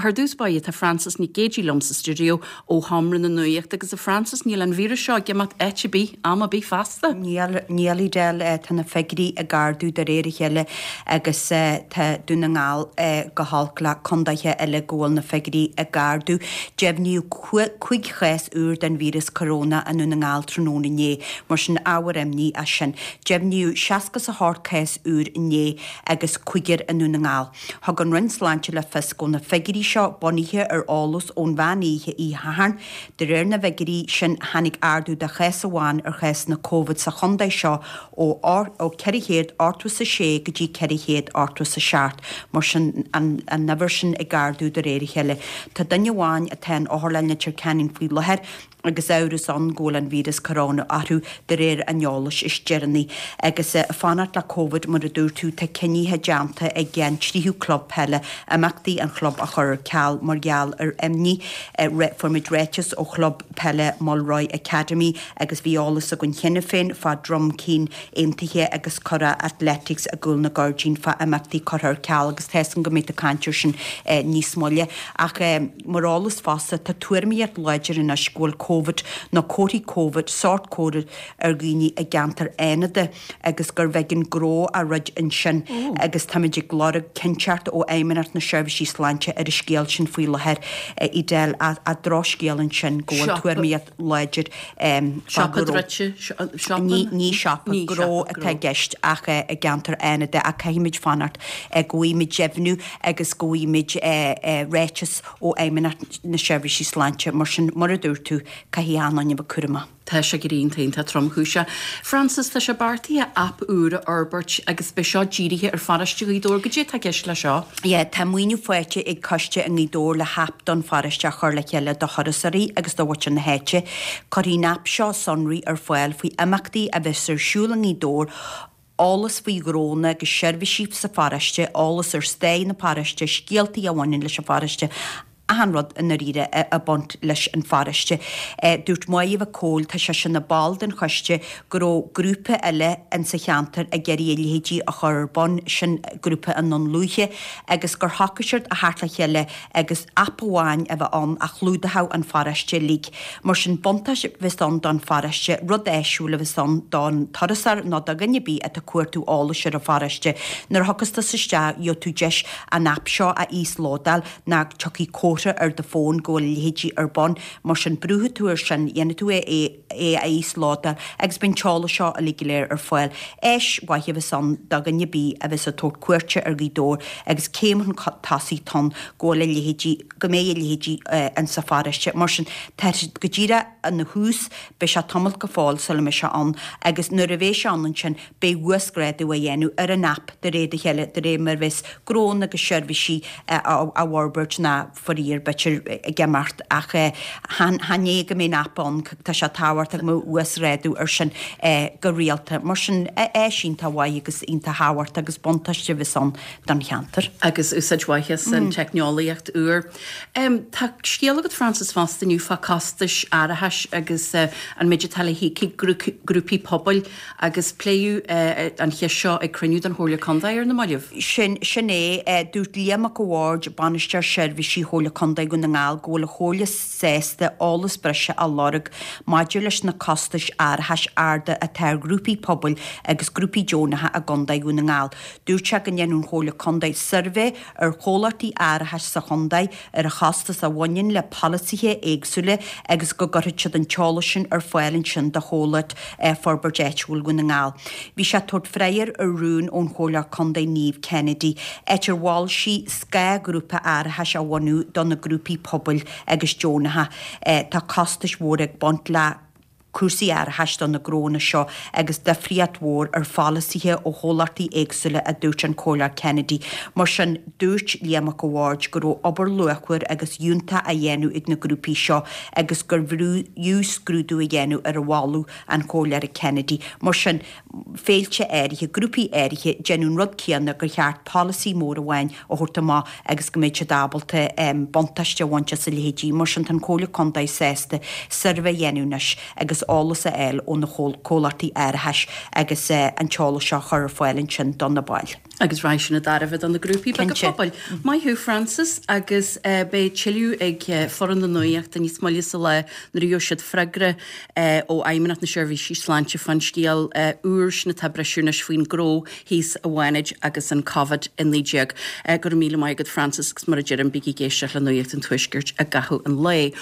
Ar dtús báire tá Frances Nic Géidigh liom sa stiúideo ó Sheomra na Nuachta agus a Frances níl an víreas seo ag imeacht áit ar bith, am ar bith feasta. Níl, níl Edel, tá na figiúirí ag ardú de réir a chéile agus tá Dún na nGall go holc le condaetha eile go bhfuil na figiúirí ag ardú. Deimhníodh 5 chás úr den víreas coróna i nDún na nGall tráthnóna inné, mar sin ábhar imní é sin. Deimhníodh 68 cás úr inné agus cúigear i nDún na nGall. Thug an Roinn Sláinte le fios go bhfuil na figiúirí seo bunaithe ar eolas ón mheán oíche oíche Shathairn. De réir na bhfigiúirí sin, tháinig ardú de chás amháin ar chásanna Covid sa chontae seo ó 486 go dtí 487, mar sin an uimhir sin ag ardú de réir a chéile. Tá duine amháin atá in Otharlann Leitir Ceanainn faoi láthair. agus amhras ann go bhfuil an víreas coróna orthu de réir an eolais is deireanaí. Agus ag fanacht le Covid, mar a dúirt tú, tá cinnithe déanta ag an tríú club peile imeachtaí an chlub a chur ar ceal mar gheall ar imní. Fuair muid ráiteas ó chlub peile Mulroy Academy agus bhí eolas againn cheana féin fá Droim Cinn Aontaithe agus Curragh Athletics i gCúl na gCuirdín fá imeachtaí curtha ar ceal agus tá 'fhios agam go mbeidh tú ag caint air sin níos moille. Ach. Mar eolas fosta, tá tuairimíocht láidir anois go bhfuil Covid nó comharthaí Covid, sórt Covid, ar dhaoine i gceantar Fhánada agus gurbh éigean gnó a dhruid ansin agus táimid ag lorg cinnteacht ó Fheidhmeannacht na Seirbhísí Sláinte ar an scéal sin faoi láthair. Edel, drochscéal ansin go bhfuil tuairimíocht láidir fá Siopa druidte, siopa? Ní siopa, gnó atá i gceist ach i gceantar Fhánada ach caithfimid fanacht go bhfaighimid deimhniú agus go bhfaighimid ráiteas ó Fheidhmeannacht na Seirbhísí Sláinte. Mar sin, mar a dúirt tú, caithfidh achan duine a bheith cúramach. Tá sé go iontach, iontach tromchúiseach. Frances, tá sé beartaithe aip úr a fhorbairt agus beidh seo dírithe ar pharóiste Ghaoth Dobhair. Goidé atá i gceist le seo? Yeah, tá maoiniú faighte ag coiste i nGaoth Dobhair le haip don pharóiste a chur le chéile do thurasóirí agus do mhuintir na háite. Cuirfidh an aip seo sonraí ar fáil faoi imeachtaí a bheas ar siúl i nGaoth Dobhair, eolas faoi ghnónna agus seirbhísí sa pharóiste, eolas ar stair na paróiste, scéaltaí a bhaineann leis an pharóiste, achan rud i ndáiríre ag baint leis an pharóiste. Dúirt Máire Mhic Cóil, tá sise ina ball den choiste, go raibh grúpa eile insa cheantar ag iarraidh a leithéidí a chur ar bun, sin grúpa i nDún Lúiche, agus gur shocraigh siad a theacht le chéile agus aip amháin a bheith ann a chlúdódh an pharóiste uilig. Mar sin, buntáiste a bheas ann don pharóiste, rud áisiúil a bheas ann don turasóir nó do dhuine ar bith atá ag cuartú eolais ar an pharóiste. Nuair a thiocfas tusa isteach, gheobhaidh tú deis an aip seo a íoslódáil nó tiocfaidh comhartha ar do fón go bhfuil a leithéidí ar bun. Mar sin, brúfaidh tú air sin, dhéanfaidh tú é é a íoslódáil agus beidh an t-eolas seo uilig go léir ar fáil. Áis mhaith a bheas ann do dhuine ar bith a bheas ag tabhairt cuairte ar Ghaoth Dobhair agus céim chun tosaigh atá ann go bhfuil a leithéidí, go mbeidh a leithéidí insa pharóiste. Mar sin, tá sé go díreach ina thús, beidh sé tamall go fóill sula mbeidh sé ann agus nuair a bheidh sé ann ansin beidh uasghrádú á dhéanamh ar an aip de réir a chéile, de réir mar a bheas gnónna agus seirbhísí á bhforbairt ná faraor b'fhéidir ag imeacht ach chan é go mbeidh an aip ann, tá sé tábhachtach go mbeadh uasghrádú ar sin go rialta. Mar sin, áis iontach mhaith agus iontach thábhachtach agus buntáiste a bheas ann don cheantar. Agus úsáid mhaith as an teicneolaíocht úr. Tá scéal agat Frances fosta inniu fá costais árachais agus an méid atá le híoc ag grúpaí pobail Agus pléadh an cheist seo ag cruinniú den Chomhairle Contae ar na mallaibh. Sin, sin é. Dúirt Liam Mac a' Bhaird, Bainisteoir Seirbhísí Chomhairle Contae Dhún na nGall go bhfuil an Chomhairle sásta eolas breise a lorg maidir leis na costais árachais arda atá ar ghrúpaí pobail agus grúpaí deonacha i gContae Dhún na nGall. Dúirt sé go ndéanfaidh an Chomhairle Contae suirbhé ar chomhlachtaí árachais sa chontae ar an chostas a bhaineann le polasaithe éagsúla agus go gcuirfidh siad an t-eolas sin ar fáil ansin do chomhlacht Forbairt Áitiúil Dhún na nGall. Bhí sé ag tabhairt freagra ar rún ón Chomhairleoir Contae Niamh Kennedy, áit ar mhol sí scáthghrúpa árachais a bhunú do na grúpaí pobail agus deonacha. Tá costais mhóra ag baint le. cúrsaí árachais do na gnónna seo agus difríocht mhór ar pholasaithe ó chomhlachtaí éagsúla, a dúirt an Comhairleoir Kennedy. Mar sin, dúirt Liam Mac a' Bhaird go raibh obair luachmhar agus fhiúntach á dhéanamh ag na grúpaí seo agus gurbh fhiú scrúdú a dhéanamh ar mholadh an Chomhairleora Kennedy. Mar sin, féilte áirithe, grúpaí áirithe, déanamh an rud céanna gur cheart polasaí mór amháin a thabhairt amach agus go mbeidh siad ábalta buntáiste a bhaint as a leithéidí. Mar sin, tá an Chomhairle Contae sásta suirbhé a dhéanamh anois agus. agus eolas a fháil ó na comhlachtaí árachais agus an t-eolas seo a chur ar fáil ansin do na baill. Agus raghaidh sin i dtairbhe do na grúpaí beaga pobail. Maith thú Frances agus beidh tuilleadh ag foireann na Nuachta níos moille sa lá nuair a gheobhaidh siad freagra ó Fheidhmeannacht na Seirbhísí Sláinte fán scéal úr sin atá ag briseadh anois faoin gcró thíos i bhFánaid agus an Covid-19. Go raibh míle maith agat Frances agus mar a deirim bígí ag éisteacht le Nuacht an Tuaiscirt i gcaitheamh an lae.